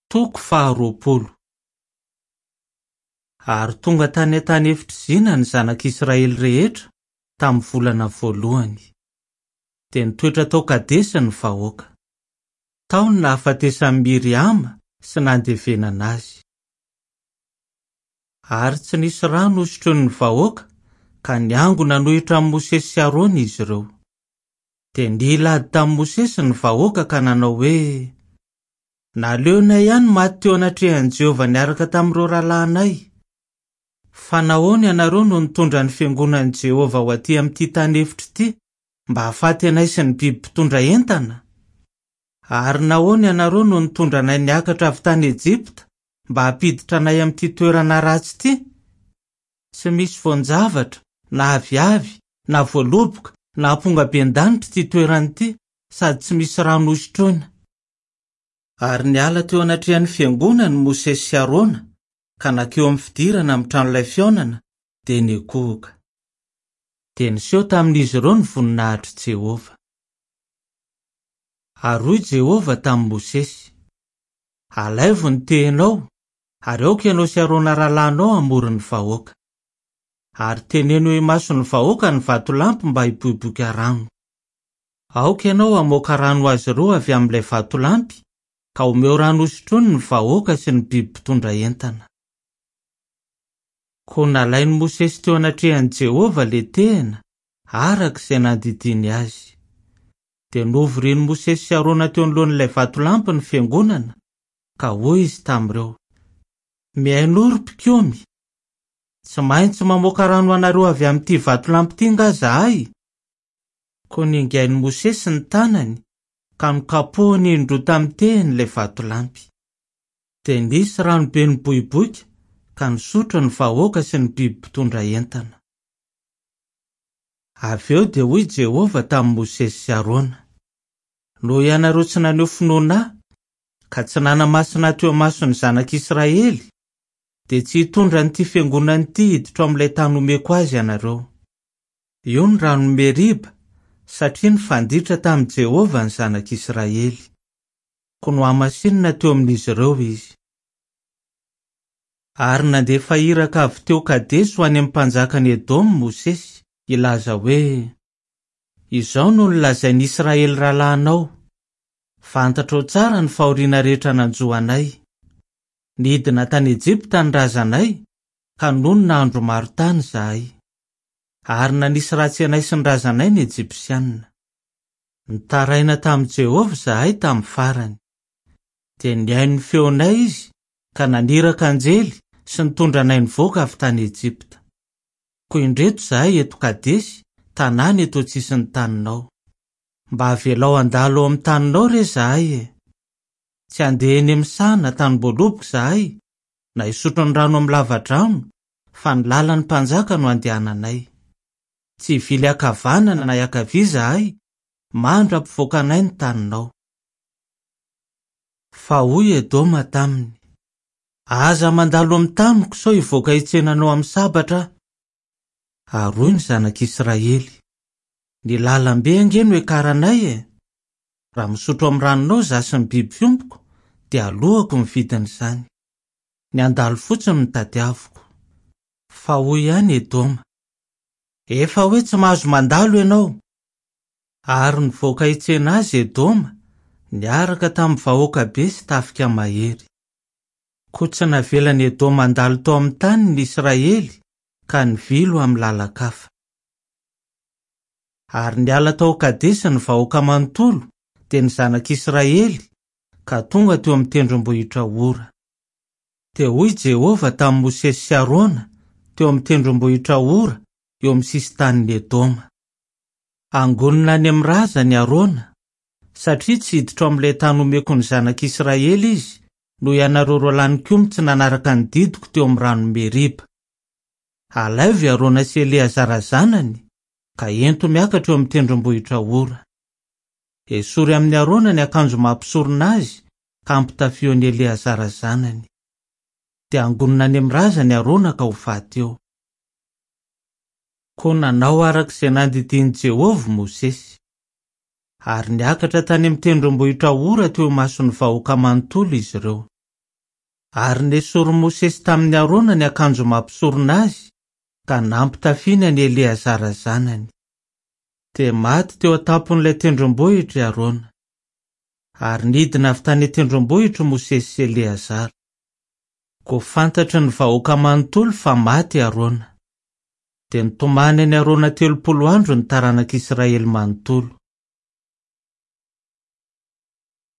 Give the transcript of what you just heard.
Toko faharoapolo. Ary tonga tany an-tany efitr'i Zina ny zanak'Israely rehetra tamin'ny volana voalohany. Dia nitoetra tao Kadesy ny vahoaka. Tao no nahafatesan'i Miriama sy nandevenana azy. Ary tsy nisy rano hosotroin'ny vahoaka, ka niangona nanohitra an'i Mosesy sy Arona izy ireo. Dia nila ady tamin'i Mosesy ny vahoaka ka nanao hoe, Naleonay ihany maty teo anatrehan'i Jehovah niaraka tamin'ireo rahalahinay. Fa nahoana ianareo no nitondra ny fiangonan'i Jehovah ho atỳ amin'ity tany efitra ity mba hahafaty anay sy ny biby mpitondra entana? Ary nahoana ianareo no nitondra anay niakatra avy tany Ejipta mba hampiditra anay amin'ity toerana ratsy ity? Tsy misy voan-javatra, na aviavy, na voaloboka, na ampongabendanitra ity toerana ity, sady tsy misy rano hosotroina. Ary niala teo anatrehan'ny fiangonana i Mosesy sy Arona ka nankeo amin'ny fidirana amin'ny tranolay fihaonana, dia nikohoka. Dia niseho tamin'izy ireo ny voninahitr'i Jehovah. Ary hoy Jehovah tamin'i Mosesy, Alaivo ny tehinao, ary aoka ianao sy Arona rahalahinao hamory ny vahoaka. Ary teneno eo imason'ny vahoaka ny vatolampy mba hiboiboika rano. Aoka ianao hamoaka rano ho azy ireo avy amin'ilay vatolampy, ka omeo rano hosotroiny ny vahoaka sy ny biby mpitondra entana. Koa nalain'i Mosesy teo anatrehan'i Jehovah ilay tehina, araka izay nandidiany azy. Dia novorian'i Mosesy sy Arona teo anoloan'ilay vatolampy ny fiangonana, ka hoy izy tamin'ireo, Mihainoa ry mpikomy! Tsy maintsy mamoaka rano ho anareo avy amin'ity vatolampy ity angaha izahay? Koa ningain'i Mosesy ny tanany ka nokapohiny indroa tamin'ny tehiny ilay vatolampy. Dia nisy ranobe niboiboika ka nisotro ny vahoaka sy ny biby mpitondra entana. Avy eo dia hoy Jehovah tamin'i Mosesy sy Arona, Noho ianareo tsy naneho finoana ahy, ka tsy nanamasina ahy teo imason'ny zanak'Israely, dia tsy hitondra an'ity fiangonana ity hiditra ao amin'ilay tany homeko azy ianareo. Io ny ranon'i Meriba, satria nifanditra tamin'i Jehovah ny zanak'Israely. Koa nohamasinina teo amin'izy ireo izy. Ary nandefa iraka avy teo Kadesy ho any amin'ny mpanjakan'i Edoma Mosesy, hilaza hoe, Izao no nolazain'i Israely rahalahinao, 'Fantatrao tsara ny fahoriana rehetra nanjo anay. Nidina tany Ejipta ny razanay, ka nonina andro maro tany izahay. Ary nanisy ratsy anay sy ny razanay ny Ejipsianina. Nitaraina tamin'i Jehovah izahay tamin'ny farany. Dia nihaino ny feonay izy ka naniraka anjely sy nitondra anay nivoaka avy tany Ejipta. Koa indreto izahay eto Kadesy, tanàna eto an-tsisin'ny taninao. Mba avelao handalo ao amin'ny taninao re izahay e! Tsy handeha eny amin'ny saha na tanim-boaloboka izahay, na hisotro ny rano amin'ny lavadrano, fa ny lalan'ny mpanjaka no andehananay. Tsy hivily ankavanana na hiankavia izahay, mandra-pivoaka anay ny taninao. Fa hoy Edoma taminy, Aza mandalo amin'ny taniko sao hivoaka hitsena anao amin'ny sabatra aho. Ary hoy ny zanak'Israely, Ny lalambe ange no iakaranay e! Raha misotro amin'ny ranonao izaho sy ny biby fiompiko, dia aloako ny vidin'izany. Ny handalo fotsiny no tadiaviko. Fa hoy ihany Edoma, Efa hoe tsy mahazo mandalo ianao! Ary nivoaka hitsena azy Edoma, niaraka tamin'ny vahoaka be sy tafika mahery. Koa tsy navelan'i Edoma handalo tao amin'ny taniny ny Israely, ka nivily ho amin'ny lalan-kafa. Ary niala tao Kadesy ny vahoaka manontolo, dia ny zanak'Israely, ka tonga teo amin'ny tendrombohitra Hora. Dia hoy Jehovah tamin'i Mosesy sy Arona, teo amin'ny tendrombohitra Hora, eo amin'ny sisin-tanin'i Edoma. Hangonina any amin'ny razany Arona, satria tsy hiditra ao amin'ilay tany homeko ny zanak'Israely izy, noho ianareo roalahy nikomy tsy nanaraka ny didiko teo amin'ny ranon'i Meriba. Alaivo i Arona sy Eleazara zanany, ka ento miakatra eo amin'ny tendrombohitra Hora. Esory amin'i Arona ny akanjo maha mpisorona azy ka ampitafio an'i Eleazara zanany. Dia hangonina any amin'ny razany Arona ka ho faty eo. Koa nanao araka izay nandidian'i Jehovah Mosesy. Ary niakatra tany amin'ny tendrombohitra Hora teo imason'ny vahoaka manontolo izy ireo. Ary nesorin'i Mosesy tamin'i Arona ny akanjo maha mpisorona azy, ka nampitafiany an'i Eleazara zanany. Dia maty teo an-tampon'ilay tendrombohitra i Arona. Ary nidina avy tany an-tendrombohitra i Mosesy sy Eleazara. Koa fantatry ny vahoaka manontolo fa maty i Arona. Dia nitomany an'i Arona 30 andro ny taranak'Israely manontolo.